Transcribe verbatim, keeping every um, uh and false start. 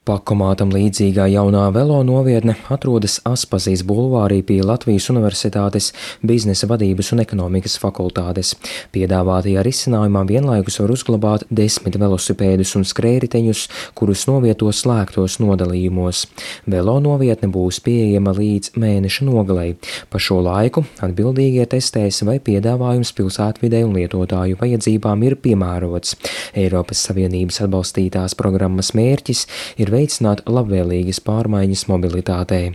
Pakomātam līdzīgā jaunā velo novietne atrodas Aspazijas bulvārī pie Latvijas Universitātes biznesa vadības un ekonomikas fakultātes. Piedāvātajā risinājumā vienlaikus var uzglabāt desmit velosipēdus un skrējriteņus, kurus novieto slēgtos nodalījumos. Velo novietne būs pieejama līdz mēneša nogalei. Pa šo laiku atbildīgie testēs, vai piedāvājums pilsētvidei un lietotāju vajadzībām ir piemērots. Eiropas Savienības atbalstītās programmas mērķis ir veicināt labvēlīgas pārmaiņas mobilitātei.